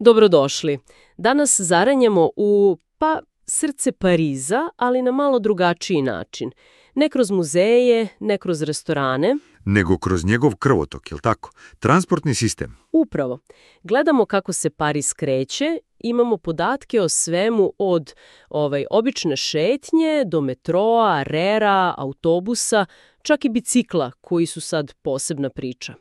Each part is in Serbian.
Dobrodošli. Danas zaranjamo u, srce Pariza, ali na malo drugačiji način. Ne kroz muzeje, ne kroz restorane. Nego kroz njegov krvotok, jel tako? Transportni sistem. Upravo. Gledamo kako se Pariz kreće, imamo podatke o svemu od obične šetnje do metroa, rera, autobusa, čak i bicikla koji su sad posebna priča.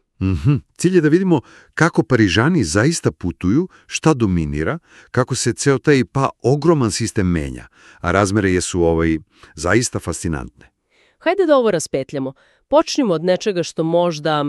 Cilj je da vidimo kako Parižani zaista putuju, šta dominira, kako se ceo taj ogroman sistem menja, a razmere jesu zaista fascinantne. Hajde da ovo raspetljamo. Počnimo od nečega što možda,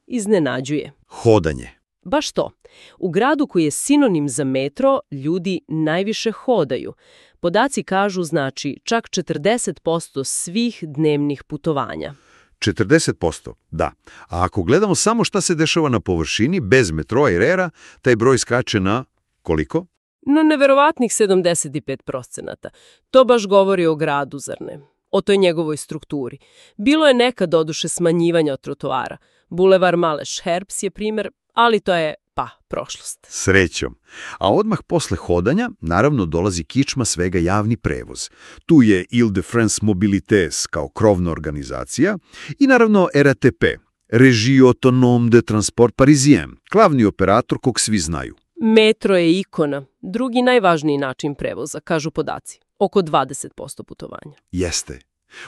iznenađuje. Hodanje. Baš to. U gradu koji je sinonim za metro, ljudi najviše hodaju. Podaci kažu, znači, čak 40% svih dnevnih putovanja. 40%, da. A ako gledamo samo šta se dešava na površini, bez metroa i rera, taj broj skače na koliko? No, neverovatnih 75%. To baš govori o gradu, zar ne? O toj njegovoj strukturi. Bilo je nekad doduše smanjivanja od trotoara. Bulevar Maleš Herbs je primjer, ali to je, prošlost. Srećom. A odmah posle hodanja, naravno, dolazi kičma svega javni prevoz. Tu je Île-de-France Mobilités kao krovna organizacija i naravno RATP, Régie Autonome de Transport Parisien, glavni operator kog svi znaju. Metro je ikona, drugi najvažniji način prevoza, kažu podaci. Oko 20% putovanja. Jeste.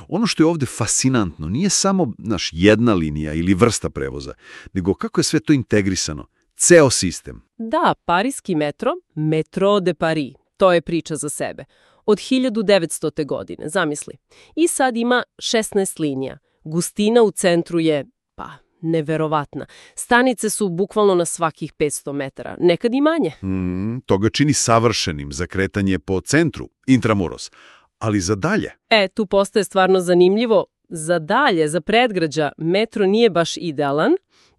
Ono što je ovdje fascinantno nije samo jedna linija ili vrsta prevoza, nego kako je sve to integrisano. Ceo sistem. Da, parijski metro, Métro de Paris, to je priča za sebe. Od 1900. godine, zamisli. I sad ima 16 linija. Gustina u centru je, neverovatna. Stanice su bukvalno na svakih 500 metara, nekad i manje. To ga čini savršenim za kretanje po centru, intramuros. Ali za dalje? Tu postaje stvarno zanimljivo. Za dalje, za predgrađa, metro nije baš idealan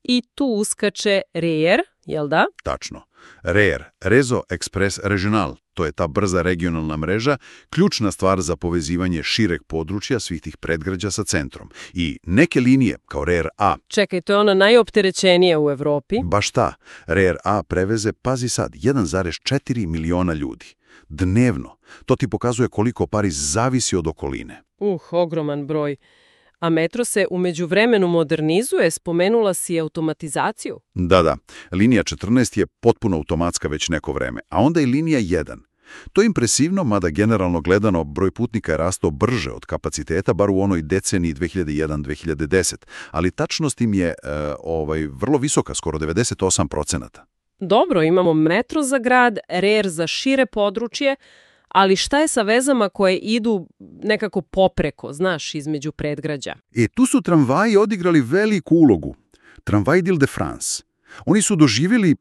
i tu uskače RER, jel da? Tačno. RER, Réseau Express Régional, to je ta brza regionalna mreža, ključna stvar za povezivanje šireg područja svih tih predgrađa sa centrom. I neke linije, kao RER A... Čekaj, to je ona najopterećenija u Evropi. Baš ta. RER A preveze, pazi sad, 1,4 miliona ljudi. Dnevno. To ti pokazuje koliko Pariz zavisi od okoline. Ogroman broj. A metro se u međuvremenu modernizuje, spomenula si automatizaciju? Da. Linija 14 je potpuno automatska već neko vreme, a onda i linija 1. To je impresivno, mada generalno gledano broj putnika je rastao brže od kapaciteta, bar u onoj deceniji 2001-2010, ali tačnost im je vrlo visoka, skoro 98%. Dobro, imamo metro za grad, RER za šire područje, ali šta je sa vezama koje idu nekako popreko, između predgrađa? Tu su tramvaji odigrali veliku ulogu. Tramvaj d'Île-de-France. Oni su doživjeli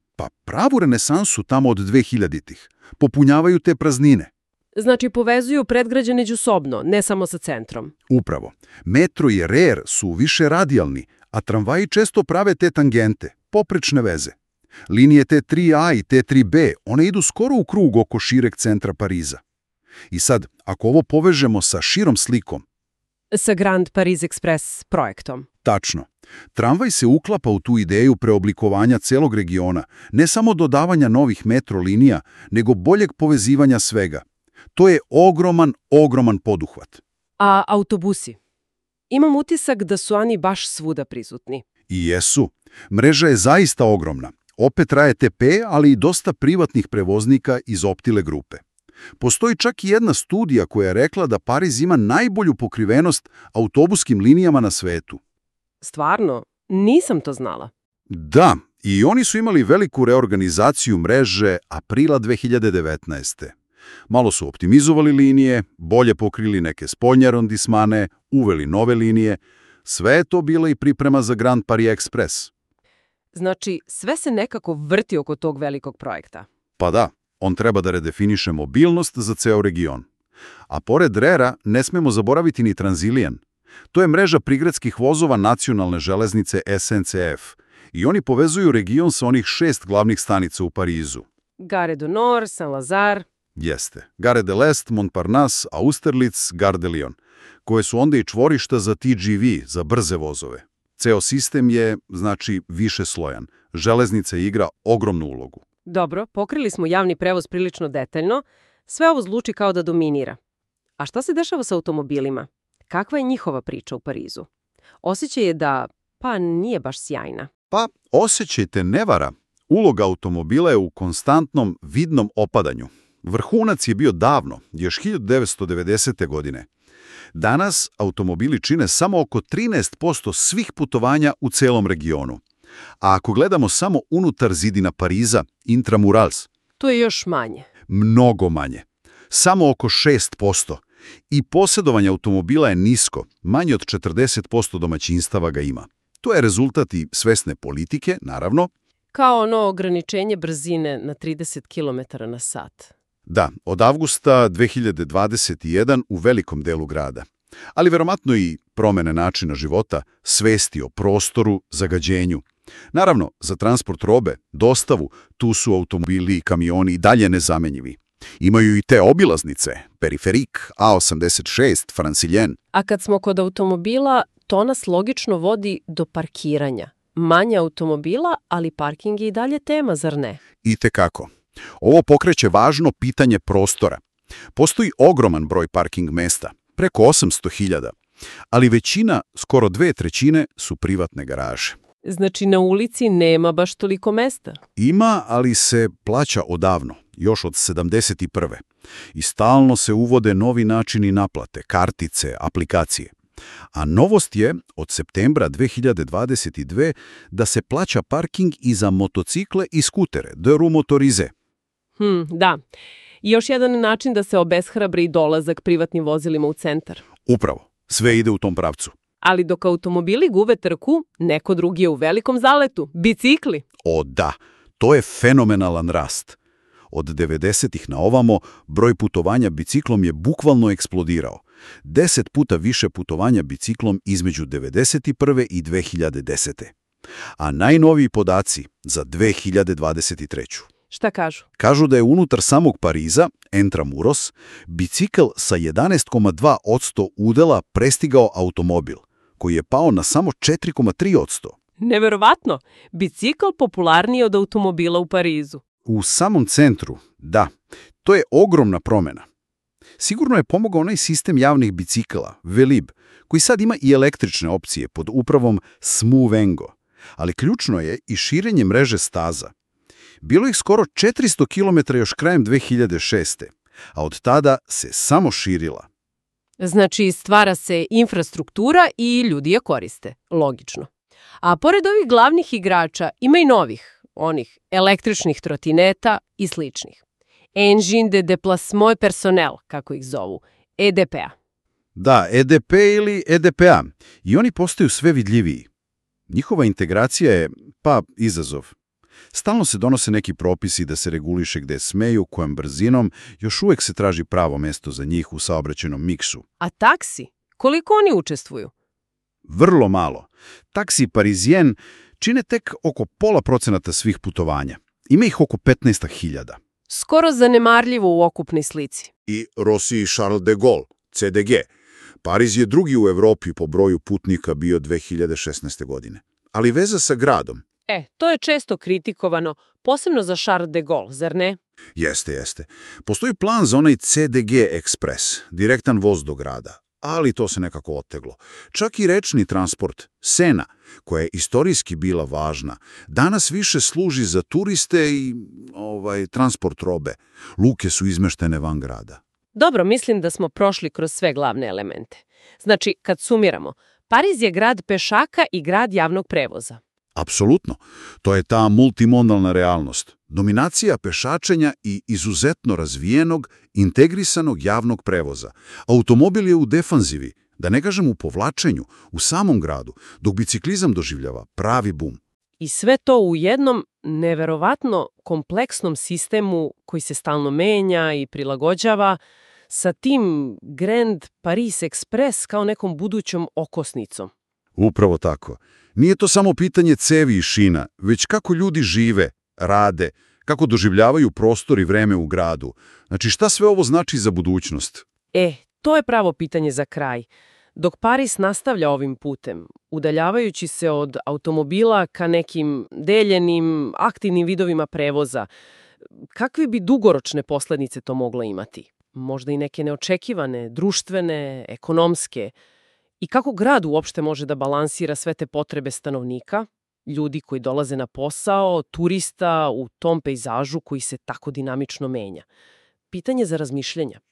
pravu renesansu tamo od 2000-ih. Popunjavaju te praznine. Znači povezuju predgrađe međusobno, ne samo sa centrom. Upravo. Metro i RER su više radijalni, a tramvaji često prave te tangente, poprečne veze. Linije T3A i T3B, one idu skoro u krug oko šireg centra Pariza. I sad, ako ovo povežemo sa širom slikom... Sa Grand Paris Express projektom. Tačno. Tramvaj se uklapa u tu ideju preoblikovanja celog regiona, ne samo dodavanja novih metro linija, nego boljeg povezivanja svega. To je ogroman poduhvat. A autobusi? Imam utisak da su oni baš svuda prisutni. I jesu. Mreža je zaista ogromna. Opet RATP, ali i dosta privatnih prevoznika iz Optile grupe. Postoji čak i jedna studija koja je rekla da Pariz ima najbolju pokrivenost autobuskim linijama na svetu. Stvarno? Nisam to znala. Da, i oni su imali veliku reorganizaciju mreže aprila 2019. Malo su optimizovali linije, bolje pokrili neke spoljne arondismane, uveli nove linije. Sve je to bila i priprema za Grand Paris Express. Znači, sve se nekako vrti oko tog velikog projekta. Pa da, on treba da redefiniše mobilnost za ceo region. A pored RER-a ne smemo zaboraviti ni Transilien. To je mreža prigradskih vozova nacionalne železnice SNCF i oni povezuju region sa onih 6 glavnih stanica u Parizu. Gare du Nord, Saint-Lazare. Jeste. Gare de l'Est, Montparnasse, Austerlitz, Gare de Lyon, koje su onda i čvorišta za TGV, za brze vozove. Ceo sistem je, znači, više slojan. Železnica igra ogromnu ulogu. Dobro, pokrili smo javni prevoz prilično detaljno. Sve ovo zvuči kao da dominira. A šta se dešava sa automobilima? Kakva je njihova priča u Parizu? Osjećaj je da, nije baš sjajna. Pa, osjećaj te ne vara. Uloga automobila je u konstantnom vidnom opadanju. Vrhunac je bio davno, još 1990. godine. Danas automobili čine samo oko 13% svih putovanja u celom regionu. A ako gledamo samo unutar zidina Pariza, intramurals, To je još manje. mnogo manje. Samo oko 6%. I posjedovanje automobila je nisko, manje od 40% domaćinstava ga ima. To je rezultat i svesne politike, naravno. Kao ono ograničenje brzine na 30 km na sat. Da, od avgusta 2021 u velikom delu grada. Ali verovatno i promene načina života, svesti o prostoru, zagađenju. Naravno, za transport robe, dostavu, tu su automobili i kamioni i dalje nezamenjivi. Imaju i te obilaznice, periferik, A86, Franciljen. A kad smo kod automobila, to nas logično vodi do parkiranja. Manje automobila, ali parking je i dalje tema, zar ne? Itekako. Ovo pokreće važno pitanje prostora. Postoji ogroman broj parking mesta, preko 800.000, ali većina, skoro 2/3, su privatne garaže. Znači na ulici nema baš toliko mesta. Ima, ali se plaća odavno, još od 71. I stalno se uvode novi načini naplate, kartice, aplikacije. A novost je, od septembra 2022, da se plaća parking i za motocikle i skutere, de roues motorisées. Da. I još jedan način da se obeshrabri dolazak privatnim vozilima u centar. Upravo, sve ide u tom pravcu. Ali dok automobili gube trku, neko drugi je u velikom zaletu. Bicikli. O da, to je fenomenalan rast. Od 90-ih na ovamo, broj putovanja biciklom je bukvalno eksplodirao. 10 puta više putovanja biciklom između 91. i 2010. A najnoviji podaci za 2023. Šta kažu? Kažu da je unutar samog Pariza, intramuros, bicikl sa 11,2% udela prestigao automobil, koji je pao na samo 4,3%. Neverovatno! Bicikl popularniji od automobila u Parizu. U samom centru, da, to je ogromna promjena. Sigurno je pomogao onaj sistem javnih bicikala, Velib, koji sad ima i električne opcije pod upravom Smovengo. Ali ključno je i širenje mreže staza. Bilo ih skoro 400 km još krajem 2006. A od tada se samo širila. Znači, stvara se infrastruktura i ljudi je koriste. Logično. A pored ovih glavnih igrača ima i novih, onih električnih trotineta i sličnih. Engine de déplacement personnel, kako ih zovu, EDP-a. Da, EDP ili EDP-a. I oni postaju sve vidljiviji. Njihova integracija je, izazov. Stalno se donose neki propisi da se reguliše gde smeju, kojom brzinom, još uvek se traži pravo mesto za njih u saobraćajnom miksu. A taksi? Koliko oni učestvuju? Vrlo malo. Taksi Parisien čine tek oko 0,5% svih putovanja. Ima ih oko 15.000. Skoro zanemarljivo u okupnoj slici. I Rossi Charles de Gaulle, CDG. Pariz je drugi u Evropi po broju putnika bio 2016. godine. Ali veza sa gradom. To je često kritikovano, posebno za Charles de Gaulle, zar ne? Jeste. Postoji plan za onaj CDG Express, direktan voz do grada, ali to se nekako oteglo. Čak i rečni transport, Sena, koja je istorijski bila važna, danas više služi za turiste i transport robe. Luke su izmeštene van grada. Dobro, mislim da smo prošli kroz sve glavne elemente. Znači, kad sumiramo, Pariz je grad pešaka i grad javnog prevoza. Apsolutno. To je ta multimodalna realnost. Dominacija pešačenja i izuzetno razvijenog, integrisanog javnog prevoza. Automobil je u defanzivi, da ne kažem u povlačenju, u samom gradu, dok biciklizam doživljava pravi bum. I sve to u jednom neverovatno kompleksnom sistemu koji se stalno menja i prilagođava sa tim Grand Paris Express kao nekom budućom okosnicom. Upravo tako. Nije to samo pitanje cevi i šina, već kako ljudi žive, rade, kako doživljavaju prostor i vreme u gradu. Znači, šta sve ovo znači za budućnost? To je pravo pitanje za kraj. Dok Paris nastavlja ovim putem, udaljavajući se od automobila ka nekim deljenim, aktivnim vidovima prevoza, kakve bi dugoročne posljedice to moglo imati? Možda i neke neočekivane, društvene, ekonomske. I kako grad uopšte može da balansira sve te potrebe stanovnika, ljudi koji dolaze na posao, turista u tom pejzažu koji se tako dinamično menja? Pitanje za razmišljanja.